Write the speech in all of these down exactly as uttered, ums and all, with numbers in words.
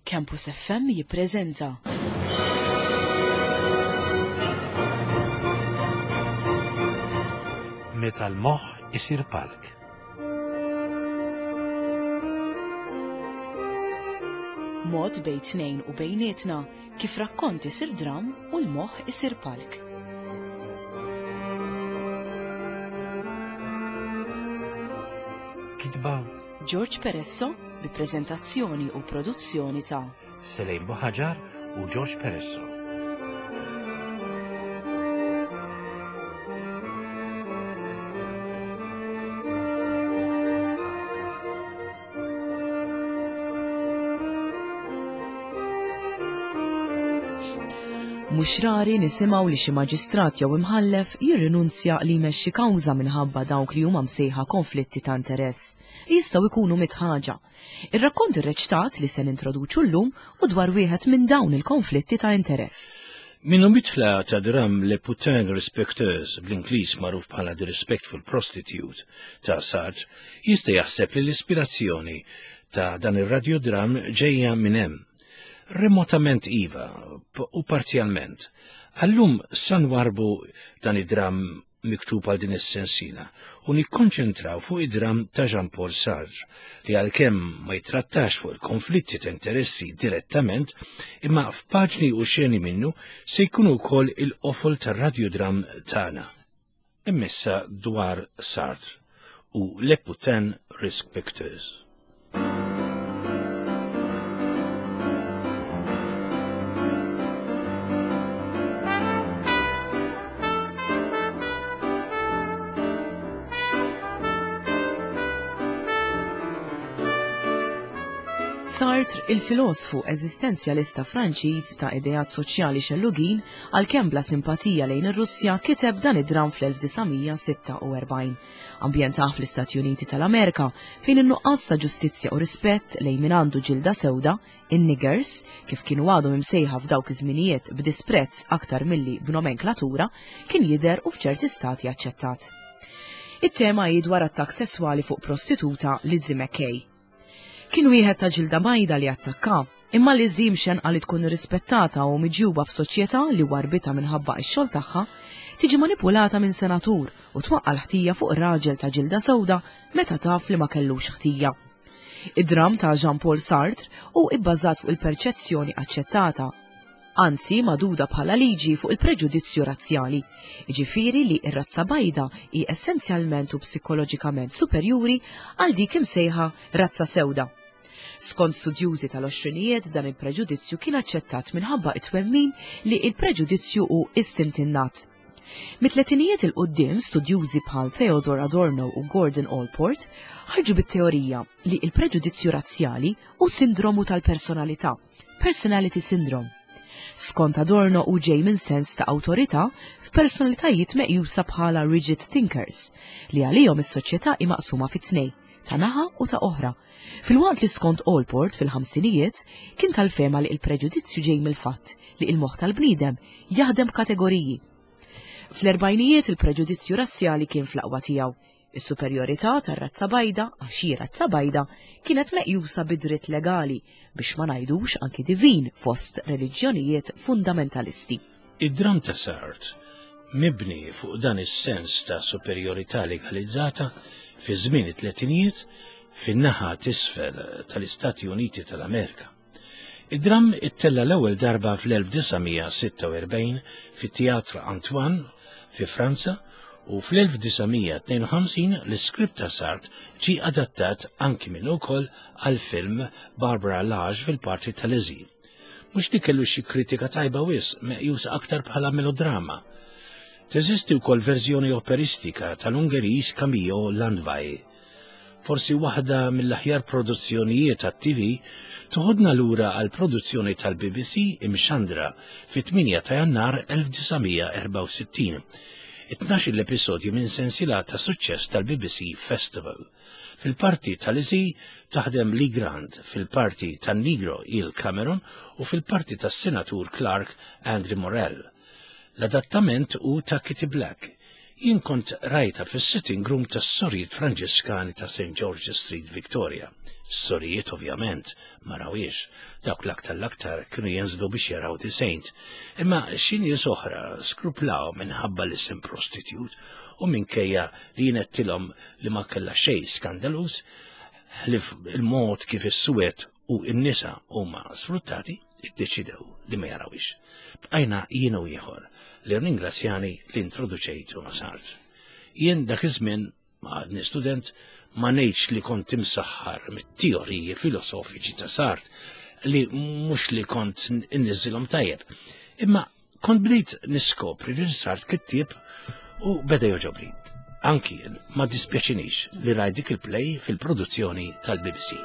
Campus F M jippreżenta Meta l-moħħ isir palk. Mod bejn tnejn u bejnietna kif rakkont isir dram u l-moħħ isir palk. Kitba George Peresso bi preżentazzjoni u produzzjoni ta' Selejn Buħaġar u George Peresso. Mhux rari nisimgħu li xi maġistrat jew imħallef jirrinunzja li jmexxi kawża minħabba dawk li huma msejħa konflitti ta' interess. Jistgħu jkunu mitt ħaġa. Ir-rakkont irreċtat li se nintroduċu llum hu dwar wieħed minn dawn il-konflitti ta' interess. Minnu mitla ta' dram Le Putain Respecteuse, bl-Ingliż magħruf bħala The Respectful Prostitute, ta' Sartre, jista' jaħseb li l-ispirazzjoni ta' dan ir-radiodram ġejja minn hemm. Remotament iva, u parzjalment. Allum san warbu dan id-dram miktub għal din is-sensina u nikkonċentraw fuq id-dram ta' Jean-Paul Sartre li għalkemm ma jitrattax fuq il-konflitti ta' interessi direttament, imma f'paġni u xeni minnu se jkunu wkoll il-qofol tar-radiodram tagħna. Immissa dwar Sartre u Le Putain Respecteuse. Sartre, il-filosfu eżistenzjalista Franċiż ta' ideat soċjali xellugin, għalkemm bla simpatija lejn ir-Russja, kiteb dan id-dram fl-elf disa' mija sitta u erbgħin. Ambjentah fl-Istati Uniti tal-Amerika, fejn in-nuqqas ta' ġustizzja u rispett lejn min għandu ġilda sewda, in-niggers, kif kienu għadhom imsejħa f'dawk iż-żminijiet b'disprezz aktar milli b'nomenklatura, kien jidher u f'ċerti stati aċċettat. It-tema hi dwar attakk sesswali fuq prostituta, Lizzie McKay. Kien wieħed ta' ġilda bajda li attakka, imma Lizzie, mxenqa li tkun rispettata u miġjuba f'soċjetà li warbita minħabba x-xogħol tagħha, tiġi manipulata minn senatur u twaqqa l-ħtija fuq raġel ta' ġilda sewda meta taf li ma kellux ħtija. Id-dram ta' Jean-Paul Sartre hu ibbażat fuq il-perċezzjoni aċċettata, anzi magħduda bħala liġi, fuq il-preġudizzju razzjali, jiġifieri li r-razza bajda hi essenzjalment u psikoloġikament superjuri għal dik imsejħa razza sewda. Skont studjużi tal-għoxrinijiet, dan il-preġudizzju kien aċċettat minħabba it-twemmin li il-preġudizzju hu istint innat. Mit-tletinijiet 'il quddiem, studjużi bħal Theodor Adorno u Gordon Allport ħarġu bit-teorija li il-preġudizzju razzjali hu sindromu tal-personalità, personality syndrome. Skont Adorno, hu ġej minn sens ta' awtorità f'personalitajiet meqjusa bħala rigid thinkers, li għalihom is-soċjetà hi maqsuma fi tnejn, ta' naħa u ta' oħra. Filwaqt li skont Allport fil-ħamsinijiet kien tal-fehma li il-preġudizzju ġej mill-fatt li il-moħħ tal-bniedem jaħdem b'kategoriji. Fl-erbgħinijiet il-preġudizzju razzjali kien fl-aqwa tiegħu. Is-superjorità tar-razza bajda, għax hi razza bajda, kienet meqjusa bidritt legali, biex ma ngħidux anki divin fost reliġjonijiet fundamentalisti. Id-dram ta' Sartre, mibni fuq dan is-sens ta' superjorità legalizzata fi żmien it-tletinijiet fin-naħa t'isfel tal-Istati Uniti tal-Amerika. Id-dram ittella l-ewwel darba fl-elf disa' mija sitta u erbgħin fit-Teatr Antoine fi Franza u fl-elf disa' mija tnejn u ħamsin l-iskript ta' Sartre ġi adattat anki minn ukoll għal film, Barbara Lage fil-parti ta' Lizzie. Mhux li kellu xi kritika tajba wisq, meqjus aktar bħala melodrama. Teżisti wkoll verżjoni operistika tal-Ungeriż Camillo Landvai. Forsi waħda mill-aħjar produzzjonijiet tat-T V toħodna lura għal produzzjoni tal-B B C imxandra fit-tmienja ta' Jannar elf disa' mija erbgħa u sittin. Itnax l-episodju minn sensila ta' suċċess tal-B B C Festival. Fil-parti tal-Lizzie taħdem Lee Grant, fil-parti tan-Negro Il Cameron u fil-parti tas-Senatur Clark Andrew Morell. L-adattament hu ta' Kitty Black. Jien kont rajta fis-sitting room tas-sorijiet Franġiskani ta' Saint George Street, Victoria. S-sorijiet ovvjament ma rawiex, dawk l-aktar l-aktar kienu jenżlu biex jaraw The Saint. Imma xi nies oħra skruplaw minħabba l-isem prostitute u minkejja li jien għedtilhom li ma kellha xejn skandaluż, ħlief il-mod kif is-suwed u n-nisa huma sfruttati, iddeċidew li ma jarawix. Bqajna jien u ieħor li ringrazzjani li introduċejtu ma' Sartre. Jien dak iż-żmien ma għadni student ma ngħidx li kont imsaħħar mit-teoriji filosofiċi ta' Sartre li mhux li kont inniżilhom tajjeb. Imma kont bdejt niskopri li Sartre kittieb u beda jogħġobni. Anki jien ma dispjaċinix li rajt dik il-play fil-produzzjoni tal-B B C.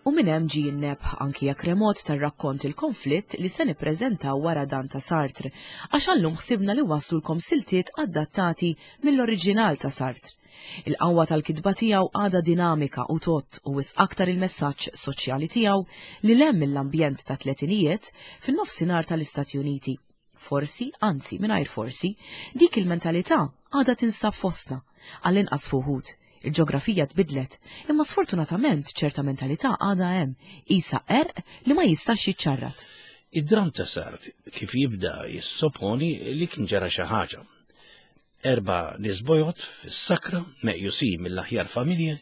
U minn hemm ġie n-nebħ anki jekk remot tar-rakkont il-konflitt li se nippreżentaw wara dan ta' Sartre, għax għallum ħsibna li waslulkom siltiet adattati mill-oriġinal ta' Sartre. Il-qawwa tal-kitba tiegħu għadha dinamika u tott u wisq aktar il-messaġġ soċjali tiegħu li lem mill-ambjent ta' tletinijiet fin-nofsinhar tal-Istati Uniti. Forsi, anzi mingħajr forsi, dik il-mentalità għadha tinsab fostna, għall-inqas fuħud. Il-ġeografija tbidlet, imma sfortunatament ċerta mentalità għadha hemm, isa erq li ma jistax jiċċarrat. Id-dram ta' Sartre kif jibda jissoponi li kien ġara xi ħaġa. Erba' nies bojod fis-sakra meqjusin mill-aħjar familji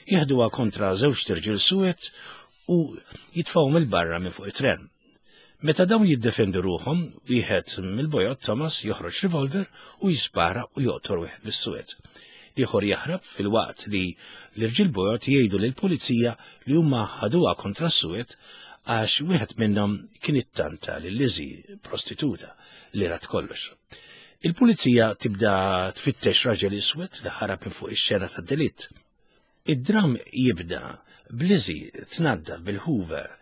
jieħduha kontra żewġ tirġiel suwed u jitfgħu mill-barra minn fuq it-tren. Meta dawn jiddefendu ruħhom, wieħed mill-bojod Thomas joħroġ revolver u jispara u joqtor wieħed bis-suwed. Ieħor jaħrab fil-waqt li l-irġiel bojod jgħidu lill-pulizija li huma ħaduha kontra s-suwed għax wieħed minnhom kien ittanta lil Lizzie, prostituta, li rat kollox. Il-pulizija tibda tfittex raġel iswed li ħarab minn fuq ix-xena tad-delitt. Id-dram jibda b'Lizzie tnaddaf bil-Hoover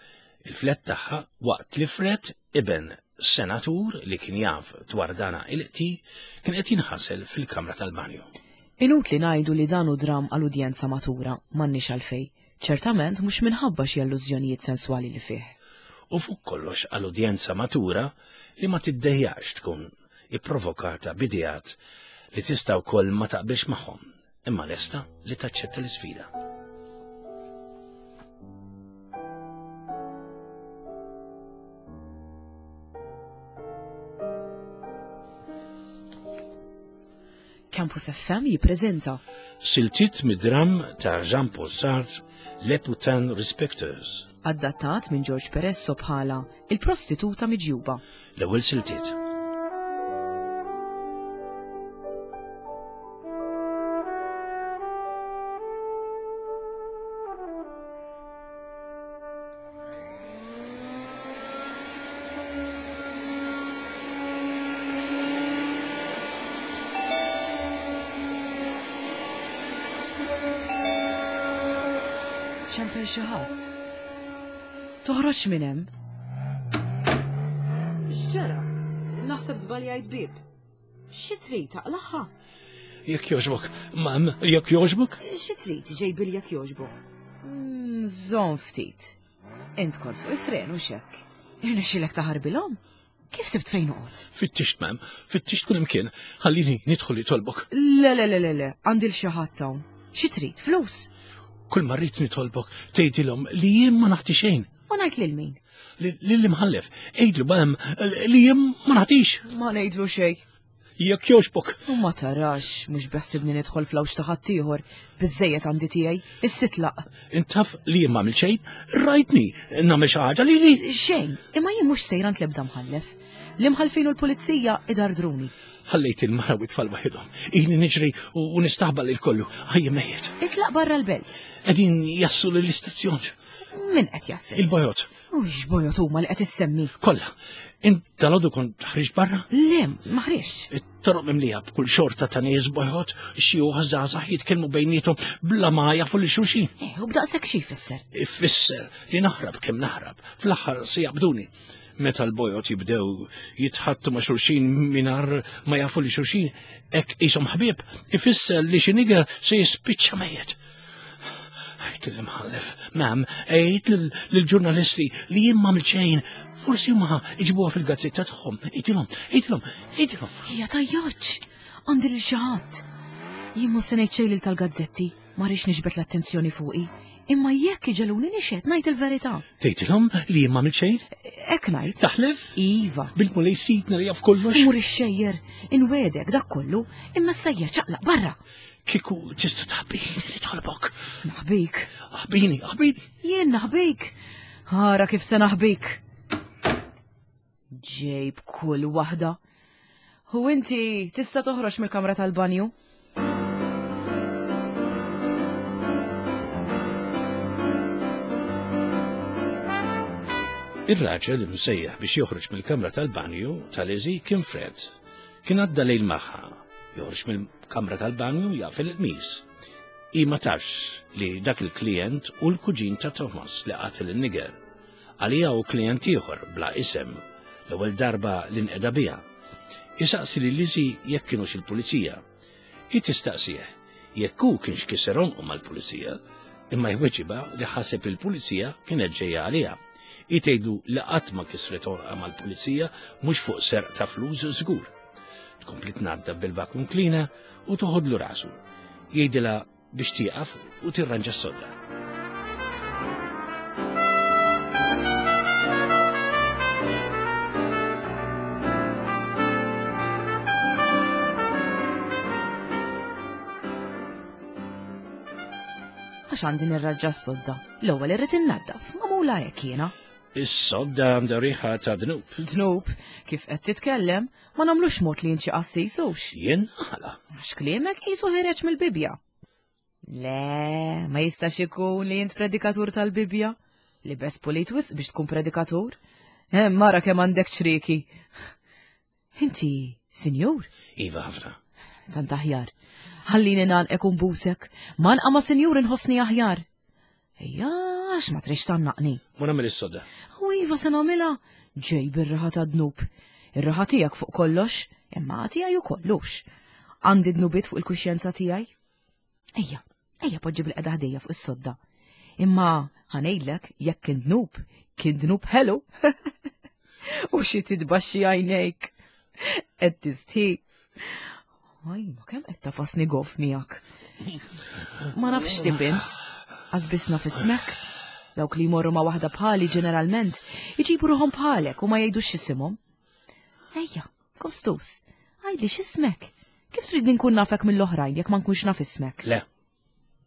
il-flett tagħha waqt li Fred, iben senatur li kien jaf dwar dana il-qti, kien qed jinħasel fil-kamra tal-banju. Inutli ngħidu li dan hu dram għal udjenza matura, m'għandniex għalfej. Ċertament mhux minħabba xi allużjonijiet senswali li fih. U fuq kollox għal udjenza matura li ma tiddejjax tkun ipprovokata b'ideat li tista' wkoll ma taqbilx magħhom, imma lesta li taċċetta l-isfida. Campus F M jippreżenta Siltiet mid-dram ta' Jean-Paul Sartre, Les Putains Respecteuses. Adattat minn George Peresso bħala Il-Prostituta Miġjuba. L-ewwel siltiet. ċempel xi ħadd. Toħroġ minn hemm. X'ġara? Naħseb żbaljajt bieb. Xi trid taqlaħħa? Jekk jogħġbok, mam, jekk jogħġbok? Xi trid ġejbil jekk jogħġbok? Żomm ftit. Int kont fuq it-tren u x'hekk. Irnexxilek taħarbilhom? Kif sibt fejn noqgħod? Fittixt, mam, fittixt kull imkien. Ħallini nidħol li tolbok. Le, le, le, le, le, għandi l xi ħadd hawn. Xi trid? Flus? Kull ma rrid nitolbok tgħidilhom li jien ma naħti xejn. U ngħid lil min? Lil imħallef, għidlu bam li jien ma naħtix. Ma ngħidlu xejn. Jekk jogħġbok. U ma tarax, mhux beħsibni nidħol fl-għawx ta' ħaddieħor, biżejjed għandi tiegħi, issitlaq. Intaf li jien m'għamil xejn, rajtni nagħmel xi ħaġa li li. Xejn, imma jien mhux sejra ntlebda mħallef. L-imħallfin u l-pulizija idardruni. Ħallejt il-mara u t-tfal waħedhom. Ili niġri u nistaħbal il-kollu. Ħajja mejjet. Itlaq barra l-belt. Qegħdin jassu lill-istazzjon. Min qed jassis? Il-bojot. U x'bojot huma li qed issemmi? Kollha. Int dalodu kont ħriġt barra? Le, ma ħriġtx. It-toroq mimlija b'kull xorta ta' nies bojot, xi żgħażagħ jitkellmu bejniethom bla ma jafu lil xulxin. Eh, u b'daqshekk xi jfisser? Ifisser li naħrab kemm naħrab, fl-aħħar se jaqbduni. Meta l-bojod jibdew jitħattu ma' xulxin mingħajr ma jafu li xulxin, hekk qishom ħbieb, ifisser li xi nigger se jispiċċa mejjet. Għidt lill-imħallef, ma'am, għidt lill-ġurnalisti li jien m'għamilt xejn, forsi huma iġibuha fil-gazzetta tagħhom. Għidtilhom, għidtilhom, għidtilhom. Ejja tgħajjatx, għandi lil xi ħadd. Jien mhux se ngħid xejn lil tal-gazzetti, ma rridx niġbed l-attenzjoni fuqi. Imma jekk iġegħluni nixhed ngħid il-verità. Tgħidilhom li jien m'għamilt xejn? Hekk ngħid. Taħlef? Iva. Bil-Mulej Sidna li jaf kollox? Mur ixxejjer, inwegħdek dak kollu, imma issa ċaqlaq barra. Kieku tista' taħbini li tħolbok. Naħbik. Aħbini, aħbini. Jien naħbik. Ara kif se naħbik. Ġejb kull waħda. U inti tista' toħroġ mill-kamra tal-banju? Ir-raġel imsejjaħ biex joħroġ mill-kamra tal-banju ta' Lizzie kien Fred. Kien għadda lejl magħha. Joħroġ mill-kamra tal-banju jaf il-qmis. Hi ma tafx li dak il-klient hu l-kuġin ta' Thomas li qatel il-niger. Għalija hu klient ieħor bla isem l-ewwel darba li nqeda biha. Isaqsi li Lizzie jekk kienux il-pulizija. Hi tistaqsih jekk hu kienx kisser għonqu mal-pulizija, imma jweġibha li ħaseb il-pulizija kienet ġejja għaliha. Hi tgħidlu li qatt ma kisret għonqha mal-pulizija mhux fuq serq ta' flus żgur. Tkompli tnaddaf bil-vacuum cleaner u toħodlu rasu. Jgħidilha biex tieqaf u tirranġa s-sodda. Għax għandi nirranġa s-sodda. L-ewwel irrid innaddaf, magħmula hekk jiena. Is-sodda għandha riħa ta' dnub. Dnub, kif qed titkellem, ma nagħmlux mod li inti qassis hux. Jien għala. Għax kliemek qisu ħireġ mill-Bibja. Le, ma jistax ikun li int predikatur tal-Bibja. Li bes pulit wisq biex tkun predikatur. Hemm mara kemm għandek ċrieki. Inti, sinjur? Iva ħafna. Tant aħjar. Ħallini ngħannqek u nbusek. Mgħannqa ma' sinjur inħossni aħjar. Ejja, għax ma trix tgħannaqni. Mur agħmel is-sodda. U iva se nagħmilha. Ġej bir-raħa ta' dnub. Ir-raħa tiegħek fuq kollox, imma tiegħi ukollux. Għandi dnubiet fuq il-kuxjenza tiegħi. Ejja, ejja poġġi bil-qeda ħdejja fuq is-sodda. Imma ħa ngħidlek jekk kien dnub, kien dnub ħelu. U xi titbaxxi għajnejk. Qed tistħi. Aj, ma kemm qed tafasni goff miegħek. Ma nafx tip int. Għax naf ismek. Dawk li jmorru ma' waħda bħali ġeneralment iġibu ruħhom bħalek u ma jgħidux x'isimhom. Ejja, kostus, għidli x'ismek. Kif trid nkun nafek mill-oħrajn jekk ma nkunx naf ismek? Le.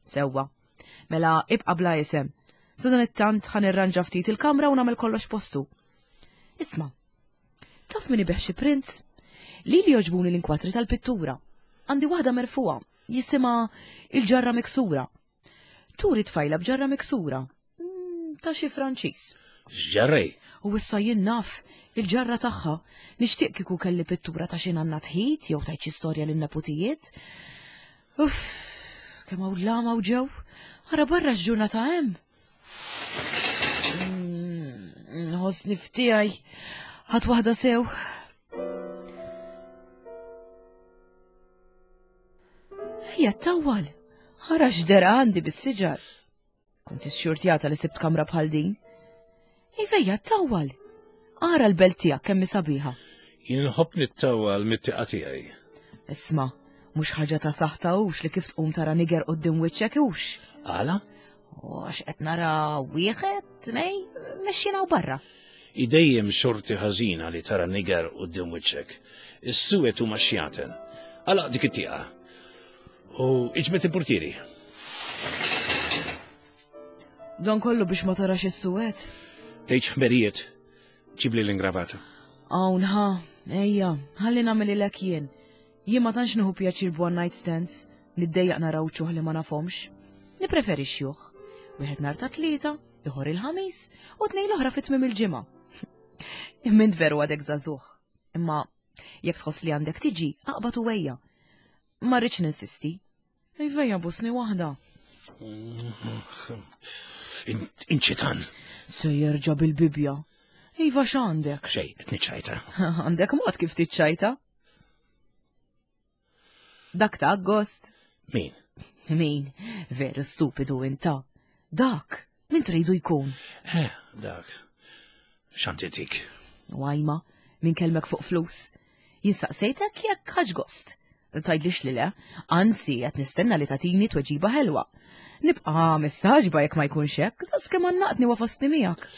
Sewwa. Mela ibqa' bla isem. Sa dan it-tant ħa nirranġa ftit il-kamra u nagħmel kollox postu. Isma', taf min ibigħ xi prints? Lili jogħġbuni l-inkwatri tal-pittura. Għandi waħda merfugħa, jisimha il-ġarra miksura. Turi tfajla b'ġarra miksura. Mm, ta' xi Franċiż. X'ġarrej? U issa jien naf il-ġarra tagħha. Nixtieq kieku kelli pittura ta' xi nanna tħit jew tajt xi storja lin-neputijiet. Uff, kemm hawn lama u ġew. Ara barra x'ġurnata hemm. Mm, Nħossni ftiegħi. Ħadt waħda sew. Ejja tawwal. Ara x'dera għandi bis-siġar. Kont ixxurtjata li sibt kamra bħal din. Ejja tawwal. Ara l-belt tiegħek kemm hi sabiħa. Jien nħobb nittawwal mit-tieqa tiegħi. Isma', mhux ħaġa ta' saħta hux li kif tqum tara niger quddiem wiċċek hux. Għala? U għax qed nara wieħed, tnej, mexjin hawn barra. Hi dejjem xorti ħażina li tara niger quddiem wiċċek. Is-suwed huma xjaten. Għalaq dik it-tieqa. U iġbed il-portieri. Dan kollu biex ma tarax is-suwed. Tgħidx ħmerijiet. Ġibli l-ingravata. Hawn ħa, ejja, ħalli nagħmilhielek jien. Jien ma tantx nieħu pjaċir b'one night stands, niddejjaq nara wċuħ li ma nafhomx. Nippreferi xjuħ. Wieħed nhar ta' tlieta, ieħor il-ħamis, u tnejn l-oħra fi tmiem il-ġimgħa. Imma veru għadek żagħżugħ. Imma jekk tħoss li għandek tiġi, aqbad u ejja. Ma rridx ninsisti. Ejja busni waħda. Inċitan. Se jerġa' bil-Bibja. Iva x'għandek? Xejn, qed niċċajta. Għandek mod kif tiċċajta? Dak ta' gost. Min? Min? Veru stupidu inta. Dak, min tridu jkun? Eh, dak. X'għanditik? Wajma, min kelmek fuq flus. Jinsaqsejtek jekk ħax gost. Tgħidlix li le, anzi qed nistenna li tagħtini tweġiba ħelwa. Nibqa' messaġba jekk ma jkunx hekk, das kemm għannaqtni wafastni miegħek.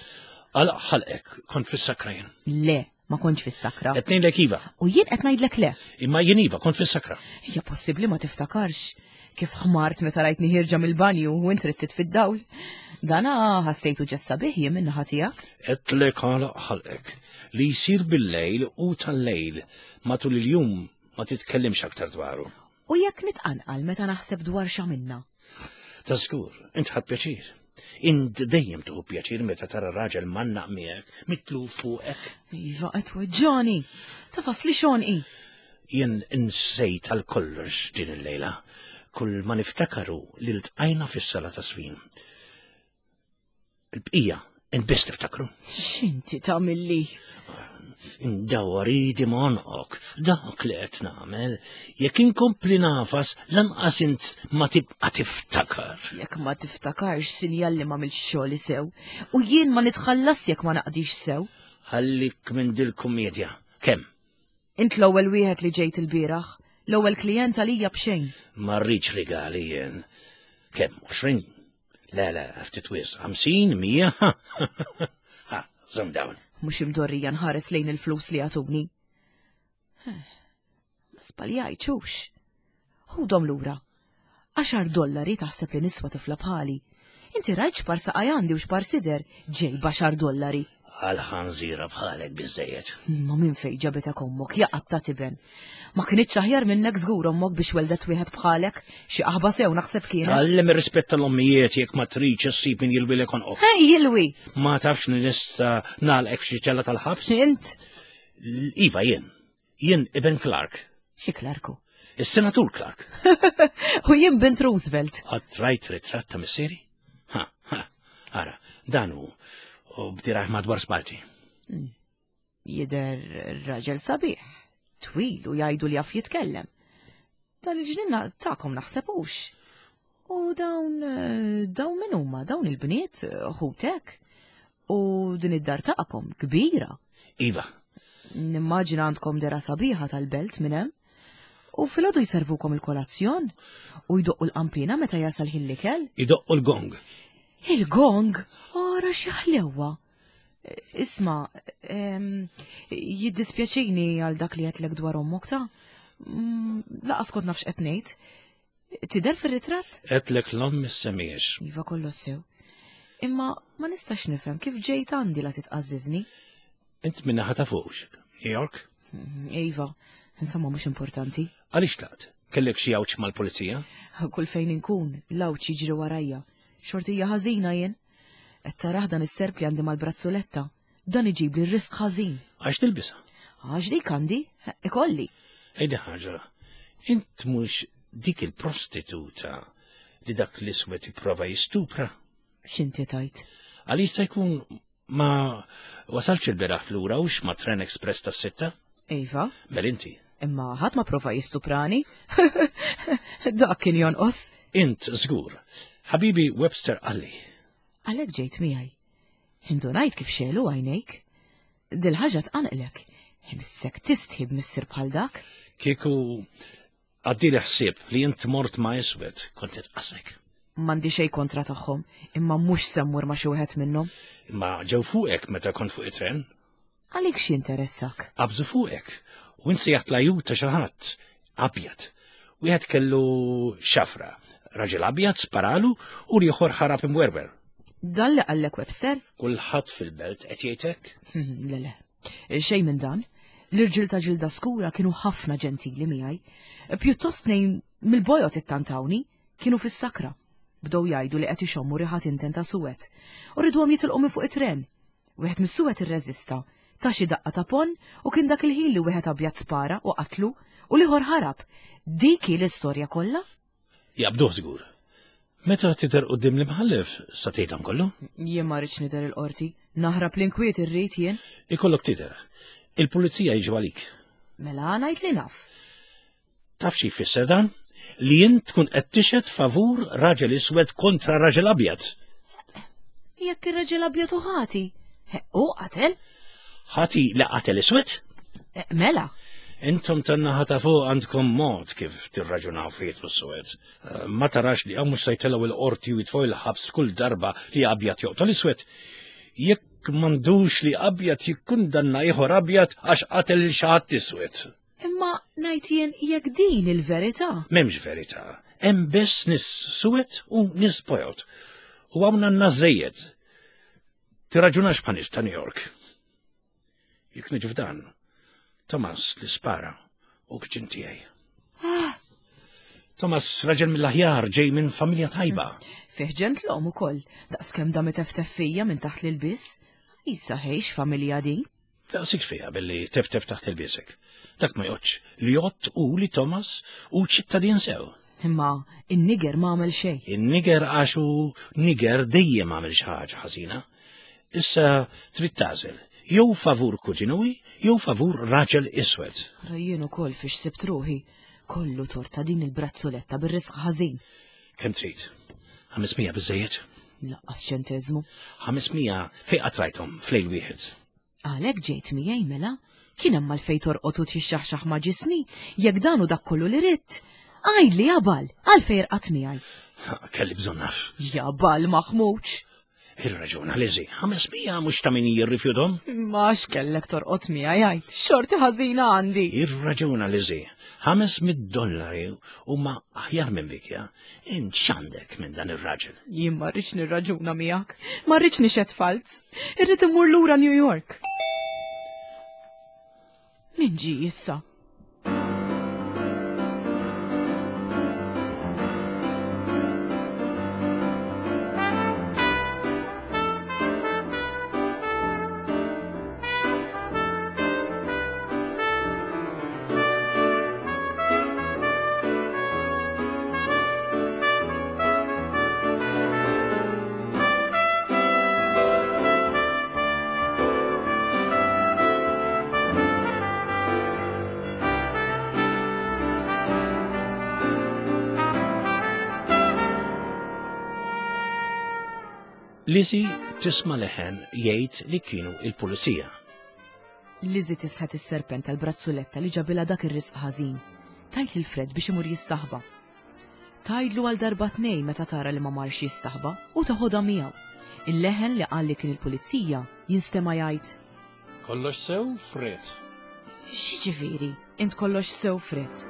Għal ħalqek, kont fis-sakra jien. Le, ma kontx fis-sakra. Qed ngħidlek iva. U jien qed ngħidlek le. Imma jien iva, kont fis-sakra. Hija possibbli ma tiftakarx kif ħmart meta rajtni ħierġa mill-banju u int trid fid-dawl. Dana ħassejtu ġessa bih jien min-naħa tiegħek. Qedlek għal ħalqek li jsir bil-lejl u tal-lejl matul il-jum ma titkellimx aktar dwaru. U jekk nitqanqal meta naħseb dwar x'għamilna. Ta' żgur, int ħadt pjaċir. Int dejjem tuħu pjaċir meta tara raġel mannaq miegħek, mitlu fuqek. Iva qed weġġani. Tafas li xonqi. Jien insejt għal kollox din il-lejla. Kull ma niftakaru li ltqajna fis-sala ta' sfin. Il-bqija, int biss tiftakru. X'inti tagħmilli? Indawwar idi m'għonqok, dak li qed nagħmel, jekk inkompli nafas lanqas int ma tibqa' tiftakar. Jekk ma tiftakarx sinjal li m'għamilx xogħli sew, u jien ma nitħallas jekk ma naqdix sew. Ħallik minn dil-kumedja. Kemm? Int l-ewwel wieħed li ġejt il-bieraħ, l-ewwel klijent għalija b'xejn. Ma rridx rigali jien. Kemm? Għoxrin? Le, le, ftit wisq. Ħamsin, mija? Ha, żomm dawn. Mhux imdorrija nħares lejn il-flus li għatuni. Ma żbaljajtx. Ħudhom lura. Għaxar dollari taħseb li niswa tifla bħali. Inti rajt x'par saqaj għandi u x'par sider, ġej b'għaxar dollari. Għal ħanżira bħalek biżejjed. Ma minn fejn ġabitek ommok, jaqat ta' tiben. Ma kinitx aħjar minnek żgur ommok biex weldet wieħed bħalek, xi qaħba sew naħseb kienet. Tgħallem ir-rispett tal-ommijiet jekk ma tridx issib min jilwilek għonqok. Hej, jilwi! Ma tafx li nista' nagħlqek f'xi ċella tal-ħabs? Int? Iva jien. Jien Ibn Clark. Xi Clarku? Is-Senatur Clark. U jien bint Roosevelt. Qatt rajt ritratt ta' missieri? Ha, ha, ara, dan hu. U bdiraħ madwar sparti. Jidher raġel sabiħ, twil u jgħidu li jaf jitkellem. Dan il-ġnien tagħkom naħsebux. U dawn, dawn min huma, dawn il-bniet, ħutek. U din id-dar tagħkom kbira. Iva. Nimmaġina għandkom dera sabiħa tal-belt minn hemm. U filgħodu jservukom il-kolazzjon u jdoqqu l-qampina meta jasal ħin l-ikel. Idoqqu l-gong. Il-gong? Ora xi ħlewwa. Isma, jiddispjaċini għal dak li għedtlek dwar ommok ta' laqas kont nafx qed ngħid. Tidher fir-ritratt? Għedtlek l-omm issemmiex. Iva kollox sew. Imma ma nistax nifhem kif ġejt għandi la titqażżiżni. Int minn naħa ta' fuq, New York? Iva, insomma mhux importanti. Għaliex tlaqt? Kellek xi għawġ mal-pulizija? Kull fejn inkun, l-għawġ jiġri warajja. Xortija ħażina jien. Qed tarah dan is-serp li għandi mal-brazzoletta. Dan iġib li r-risk ħażin. Għax tilbisha? Għax dik għandi, ikolli. Ejdi ħaġa, int mhux dik il-prostituta li dak l-iswed jipprova jistupra? X'inti tajt? Għal jista' jkun ma wasalx il-beraħ lura hux ma' Tren Express tas-sitta? Iva. Mel inti. Imma ħadd ma prova jistuprani. Dak kien jonqos. Int żgur. Ħabibi Webster qalli. Għalhekk ġejt miegħi. Indunajt kif xelu għajnejk. Dil-ħaġa tqanqlek. Imissek tistħi b'missier bħal dak. Kieku għaddili ħsieb li int mort ma' iswed kont titqasek. M'għandi xejn kontra tagħhom, imma mhux se mmur ma' xi wieħed minnhom. Imma ġew fuqek meta kont fuq it-tren? Għalik x'jinteressak? Qabżu fuqek. U inti sejjaħt l-ajjut ta' xi ħadd abjad. Wieħed kellu xafra. Raġel abjad sparalu u l-ieħor ħarab imwerwer. Dan li qallek Webster? Kulħadd fil-belt qed jgħid hekk? Le, le. Xejn minn dan. L-irġiel ta' ġilda skura kienu ħafna ġentili miegħi. Pjuttost nejn mill-bojot ittantawni, kienu fis-sakra. Bdew jgħidu li qed ixommu riħa inten ta' suwed. U riduhom jitilqu minn fuq it-tren. Wieħed mis-suwed irreżista, ta' xi daqqa ta' pon u kien dak il-ħin li wieħed abjad spara u qatlu u l-ieħor ħarab. Dik hi l-istorja kollha? Jaqbduh żgur. Meta tidher quddiem l-imħallef sa tgħid dan kollu? Jien ma rridx nidher il-qorti, Naħrab l-inkwiet irrid jien. Ikollok tidher. Il-pulizija jiġu għalik. Mela ngħid li naf. Taf xi jfisser dan? Li jien tkun qed tixhed favur raġel iswed kontra raġel abjad. Jekk ir-raġel abjad u ħati. U qatel? Ħati li qatel iswed? Eh, mela. Intom tan-naħa ta' fuq għandkom mod kif tirraġunaw fiet u s-swed. Eh, ma tarax li hawn mhux se jtellgħu il-qorti u jitfgħu il-ħabs kull darba li abjad joqtol iswed. Jekk m'għandux li abjad jikkundanna ieħor abjad għax qatel lil xi ħadd iswed. Imma ngħid jien jekk din il-verità. M'hemmx verità. Hemm biss nies suwed u nies bojod. U hawn għandna żejjed. Tirraġunax bħal nies ta' New York. Jekk niġu f'dan, Thomas li spara u kċin tiegħi. Ah. Thomas raġel mill-aħjar ġej minn familja tajba. Fih ġentlom ukoll, daqskemm dam iteftef fija minn taħt l-ilbies. Issa ħejx familja din. Daqsik fija billi teftef taħt il-biesek. Dak ma jgħoddx, li jgħodd u li Thomas u ċittadin sew. Imma in-niger ma għamel xejn. In-niger għax hu niger dejjem għamel xi ħaġa ħażina. Issa trid tagħżel jew favur kuġinuwi jew favur raġel iswed. Rajjien ukoll fiex sibt ruħi. Kollu torta din il-brazzoletta bir-risq ħażin. Kemm trid? ħames mija biżejjed? Laqqas ċenteżmu. ħames mija fejn qatt rajthom f'lejl wieħed. Għalhekk ġejt miegħi mela? Kien hemm għalfejn torqod u tixxaħxaħ ma' ġismi, jekk dan hu dak kollu li ridt. Għidli jabal, għalfejn irqadt miegħi. Kelli bżonn naf. Jabal maħmuġ. Ir-raġuna Lizzie, ħames mija mhux ta' min jirrifjuthom. Ma x'kellek torqod miegħi jgħid, xorti ħażina għandi. Ir-raġuna Lizzie, ħames mid dollari huma aħjar minn bikja. Int x'għandek minn dan ir-raġel? Jien ma rridx nirraġuna miegħek, ma rridx nixhed falz. Irrid immur lura New York. Min ġie issa? Lizzie tisma' leħen jgħid li kienu il-pulizija. Lizzie tisħet is-serpent tal-brazzuletta li ġabilha dak ir-risq ħażin. Tajt lil Fred biex imur jistaħba. Tajdlu għal darba tnejn meta tara li ma marx jistaħba u taħodha miegħu. Il-leħen li qal li kien il-pulizija jinstema' jgħid: Kollox sew, Fred. X'jiġifieri, int kollox sew, Fred?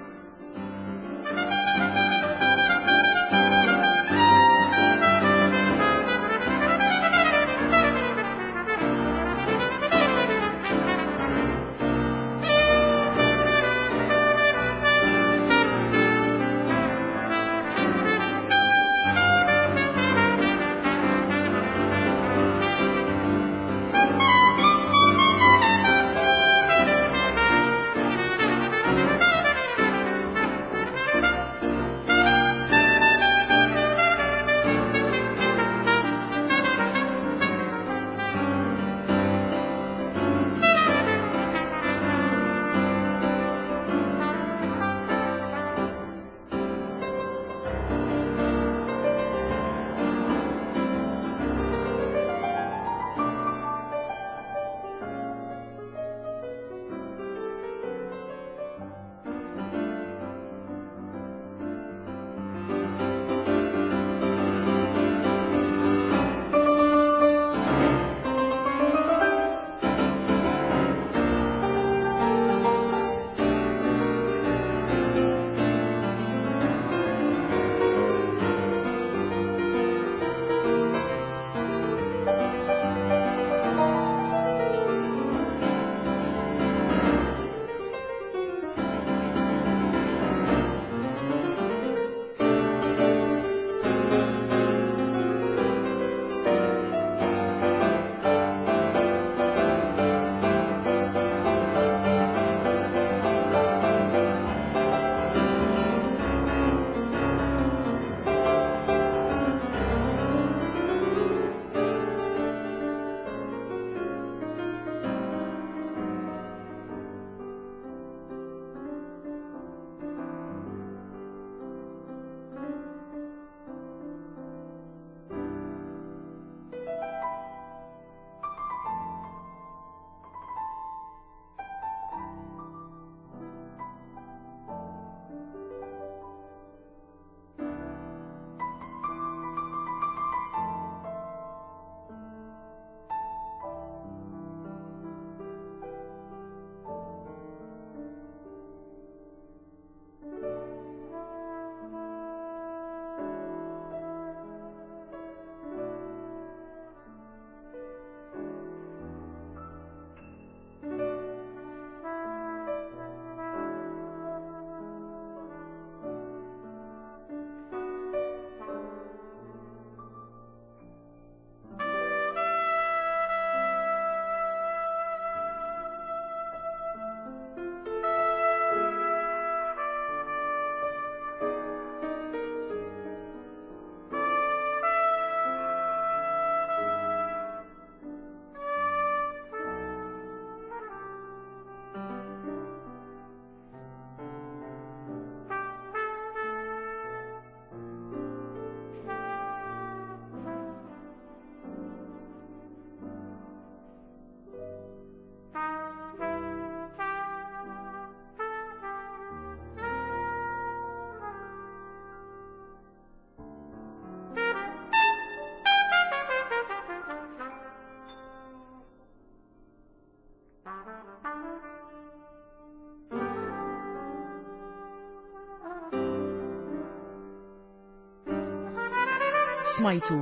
Smajtu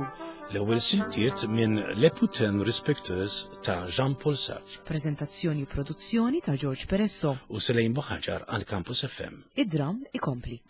L-ewwel siltiet minn Les Putains Respectueuses ta' Jean-Paul Sartre. Prezentazzjoni u produzzjoni ta' George Peresso. U Selejn Buħaġar għal Campus F M. Id-dram ikompli.